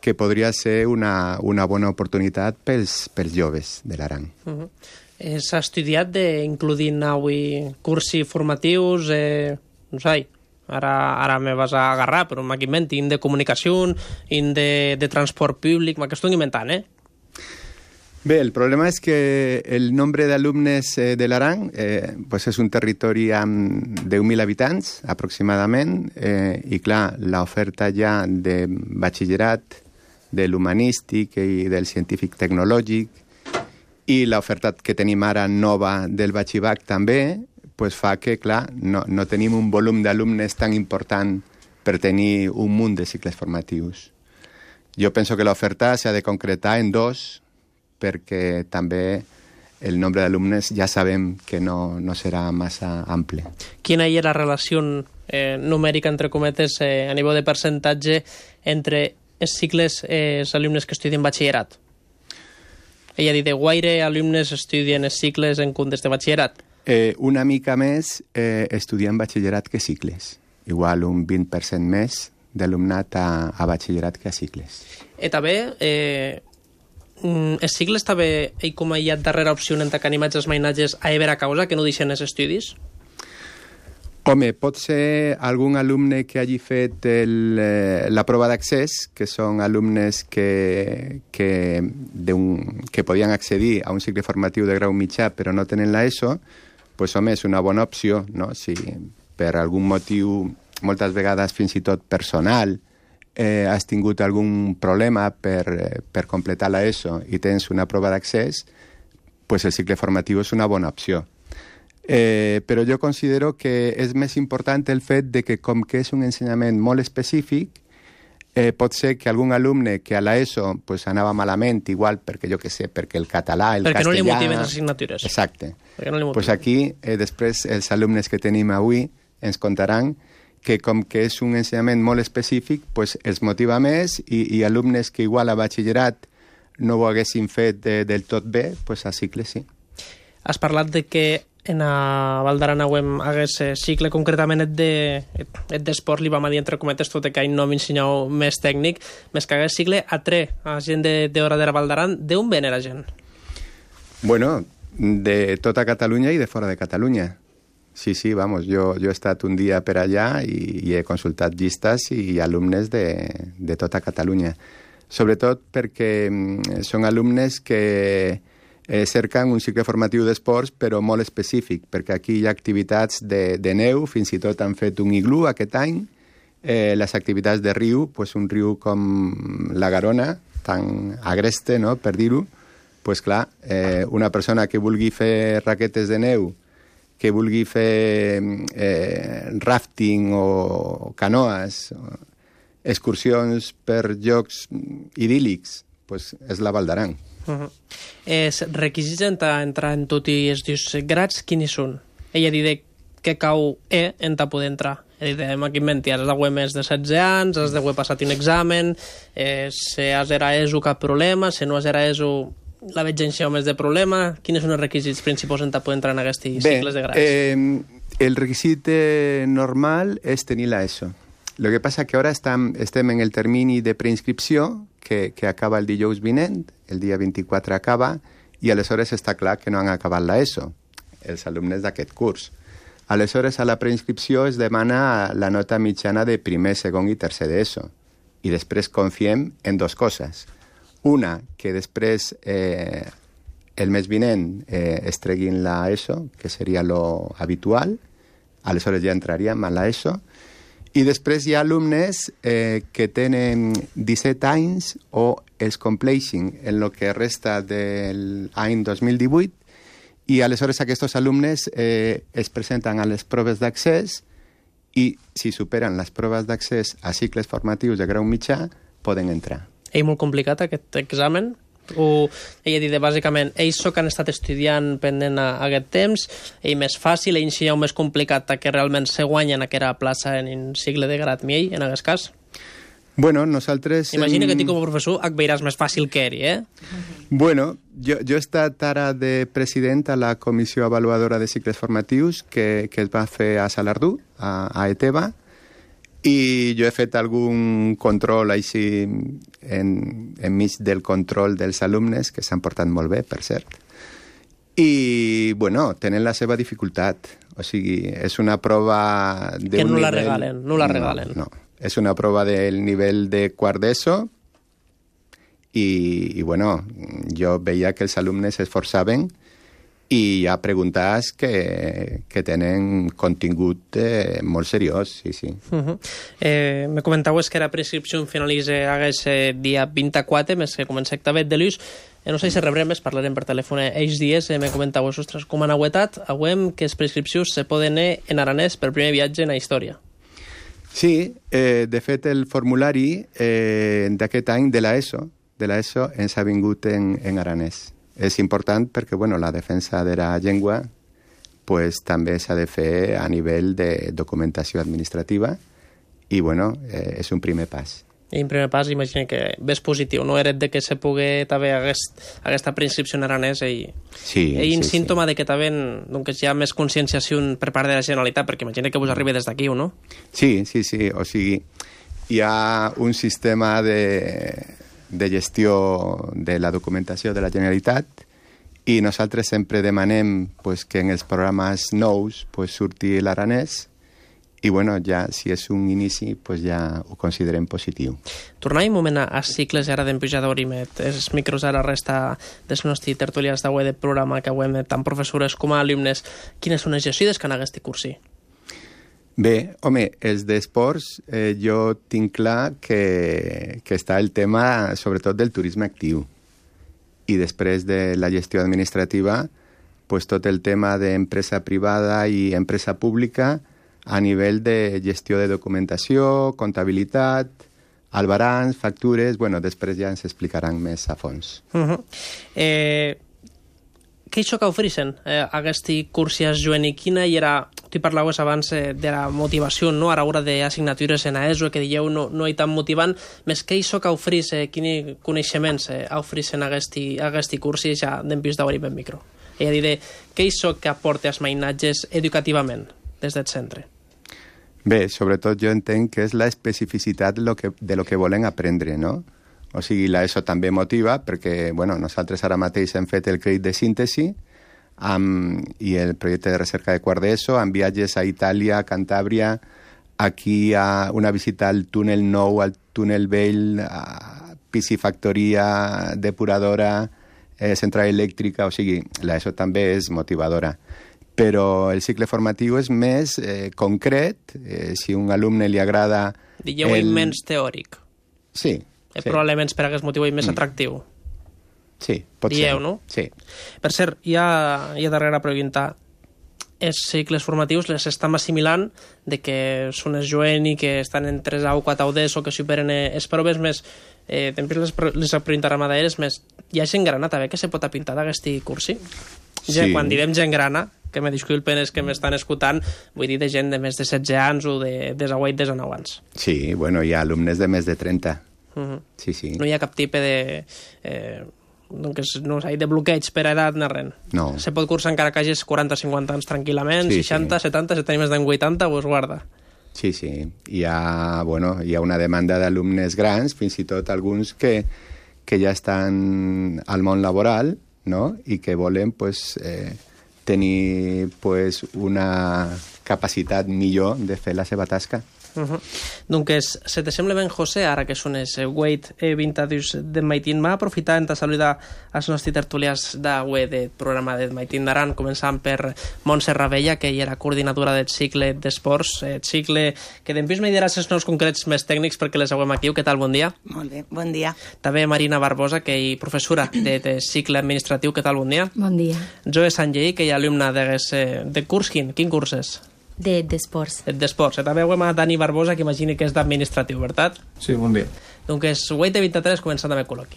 que podria ser una bona oportunitat pels joves de l'Aran. S'ha estudiat d'inclodir avui cursi formatius, no sé, ara me vas a agarrar, però m'invento, de comunicació, de transport públic, m'ho inventant, Bé, el problema és que el nombre d'alumnes de l'Aran pues és un territori amb 10.000 habitants, aproximadament, i clar, l'oferta ja de batxillerat, de l'humanístic i del científic tecnològic, i l'oferta que tenim ara nova del batxibac també, pues fa que, clar, no tenim un volum d'alumnes tan important per tenir un munt de cicles formatius. Jo penso que l'oferta s'ha de concretar en 2, perquè també el nombre d'alumnes ja sabem que no serà massa ample. Quina hi ha la relació numèrica, entre cometes, a nivell de percentatge entre els cicles els alumnes que estudien batxillerat? Ella dit, guaire alumnes estudien els cicles en comptes de batxillerat? Una mica més estudien batxillerat que cicles. Igual un 20% més d'alumnat a batxillerat que a cicles. I també, els cicles també com hi ha darrera opció en que animats els mainatges a haver a causa que no deixen els estudis? Home, pot ser algun alumne que hagi fet la prova d'accés, que són alumnes que podien accedir a un cicle formatiu de grau mitjà però no tenen l'ESO, doncs home, és una bona opció, no? Si per algun motiu, moltes vegades fins i tot personal, has tingut algun problema per completar l'ESO i tens una prova d'accés, doncs el cicle formatiu és una bona opció. Però jo considero que és més important el fet de que, com que és un ensenyament molt específic, pot ser que algun alumne que a l'ESO pues, anava malament, igual perquè, jo què sé, perquè el català, el perquè castellà... no li motiven les assignatures. Exacte. No pues aquí, després, els alumnes que tenim avui ens contaran que com que és un ensenyament molt específic, pues, els motiva més i alumnes que igual a batxillerat no ho haguessin fet del tot bé, pues a cicle sí. Has parlat de que en a Val d'Aran hagués cicle, concretament d'esport, li vam dir entre cometes tot que no m'ensenyeu més tècnic, més que hagués cicle a gent d'hora de Val d'Aran. D'on ven la gent? Bueno, de tota Catalunya i de fora de Catalunya. Sí, vamos, jo he estat un dia per allà i he consultat llistes i alumnes de tota Catalunya. Sobretot perquè són alumnes que cerquen un cicle formatiu d'esports, però molt específic, perquè aquí hi ha activitats de neu, fins i tot han fet un iglú aquest any, les activitats de riu, pues un riu com la Garona, tan agreste, no?, per dir-ho, pues clar, una persona que vulgui fer raquetes de neu, que vulgui fer rafting o canoes, excursions per llocs idíl·lics, pues és la Val d'Aran. Els requisits d'entrar en tot i els dius grats, quins són? Ella dit que cau en poder entrar. Ella dit, aquí mentir, has d'haver més de 16 anys, has d'haver passat un examen, si has era ESO cap problema, si no has era ESO la vigència o més de problema. Quins són els requisits principals en poder entrar en aquests cicles de grats? El requisit normal és tenir l'ESO. Lo que passa que ara estem en el termini de preinscripció, que acaba el dijous vinent, el dia 24 acaba, i aleshores està clar que no han acabat l'ESO, els alumnes d'aquest curs. Aleshores, a la preinscripció es demana la nota mitjana de primer, segon i tercer d'ESO. I després confiem en dues coses. Una, que després el mes vinent es treguin l'ESO, que seria lo habitual, aleshores ja entraríem a l'ESO, i després hi ha alumnes que tenen 17 anys o els compleixin en el que resta de l'any 2018 i aleshores aquests alumnes es presenten a les proves d'accés i si superen les proves d'accés a cicles formatius de grau mitjà poden entrar. És molt complicat aquest examen? O ella dit, bàsicament, ells que han estat estudiant pendent aquest temps, és més fàcil, ells hi ha més complicat que realment se guanyen aquesta plaça en un cicle de grat miell, en aquest cas? Bueno, nosaltres... Imagina que tu com a professor et veuràs més fàcil que ell, Bueno, jo he estat ara de president a la Comissió Avaluadora de Cicles Formatius que es va fer a Salardú, a ETEBA, I jo he fet algun control així enmig del control dels alumnes, que s'han portat molt bé, per cert. I, bueno, tenen la seva dificultat. O sigui, és una prova d'un que no nivell... la regalen, no la regalen. No. És una prova del nivell de quart d'ESO i, bueno, jo veia que els alumnes s'esforçaven i hi ha preguntes que tenen contingut molt seriós, sí, sí. Me comentaues que la prescripció finalitza aquest dia 24, més que comença actavet de l'ús. No sé si rebrem, parlarem per telèfon ells dies. Me comentaues, ostres, com han novetat, avui que les prescripcions se poden en aranès per primer viatge en la història. Sí, de fet el formulari d'aquest any de l'ESO ens ha vingut en aranès. És important perquè la defensa de la llengua també s'ha de fer a nivell de documentació administrativa i és un primer pas. I un primer pas, imagina que és positiu, no? Era de que se pugui també aquesta preinscripció en aranès i un símptoma de que també hi ha més conscienciació per part de la Generalitat, perquè imagina que vos arribi des d'aquí, o no? Sí, o sigui, hi ha un sistema de gestió de la documentació de la Generalitat i nosaltres sempre demanem que en els programes nous surti l'aranès i ja, si és un inici, ja ho considerem positiu. Tornem un moment a cicles ara d'empujador i els micros ara resta dels nostres tertulians d'avui de programa que avui tant professores com a alumnes. Quines són les gestides que han aquest cursi? Bé, home, els d'esports jo tinc clar que està el tema sobretot del turisme actiu i després de la gestió administrativa tot el tema d'empresa privada i empresa pública a nivell de gestió de documentació, comptabilitat, albarans, factures... després ja ens explicaran més a fons. Què és això que ofereixen aquest curs juvenil? Quina era... Tu parlaves abans de la motivació, no? A l'hora d'assignatures en ESO, que dieu no hi tan motivant, més què és això que ofereix, quins coneixements ofereixen aquest curs i ja d'empís d'obrir ben micro? És a dir, què és això que aporta els mainatges educativament des del centre? Bé, sobretot jo entenc que és la especificitat de lo que volen aprendre, no? O sigui, l'ESO també motiva perquè, nosaltres ara mateix hem fet el crèdit de síntesi i el projecte de recerca de quart d'ESO amb viatges a Itàlia, a Cantàbria, aquí a una visita al túnel nou, al túnel vell, a piscifactoria, depuradora, central elèctrica, o sigui, l'ESO també és motivadora. Però el cicle formatiu és més concret, si a un alumne li agrada... Dieu menys teòric. Sí. Probablement per aquest motiu més atractiu. Sí, pot ser. Dieu, no? Sí. Per cert, hi ha darrere pregunta, els cicles formatius les estan assimilant de que són els jovents i que estan en 3A o 4A o d'ESO, que superen les proves més... Després les preguntarem a d'ells, més... Hi ha gent grana també que se pot apintar d'aquest cursi? Sí. Quan direm gent grana, que me disculpen els que m'estan escoltant, vull dir de gent de més de 16 anys o de 18, 19 anys. Sí, hi ha alumnes de més de 30. Sí. No hi ha cap tipus de... de bloqueig per edat ni res. No. Se pot cursar encara que hagis 40-50 anys tranquil·lament, 60, 70, si tenim més d'en 80, pues guarda. Sí. Hi ha una demanda d'alumnes grans, fins i tot alguns que ja estan al món laboral, no? I que volen tenir una capacitat millor de fer la seva tasca. Doncs, se te sembla ben, José, ara que són els 20 de Maitín, m'ha aprofitat de saludar els nostres tertulians d'avui del programa de Maitín d'Aran, començant per Montse Ravella, que era coordinadora del cicle d'esports, el cicle que després me diràs els noms concrets més tècnics perquè les veiem aquí. Què tal? Bon dia. Molt bé, bon dia. També Marina Barbosa, que és professora de cicle administratiu. Què tal? Bon dia. Bon dia. Joe Sanjei, que és alumna de curs. Quin curs és? D'esports. D'esports. També veiem a Dani Barbosa, que imagini que és d'administratiu, veritat? Sí, bon dia. Doncs 8:23 començant amb el col·loqui.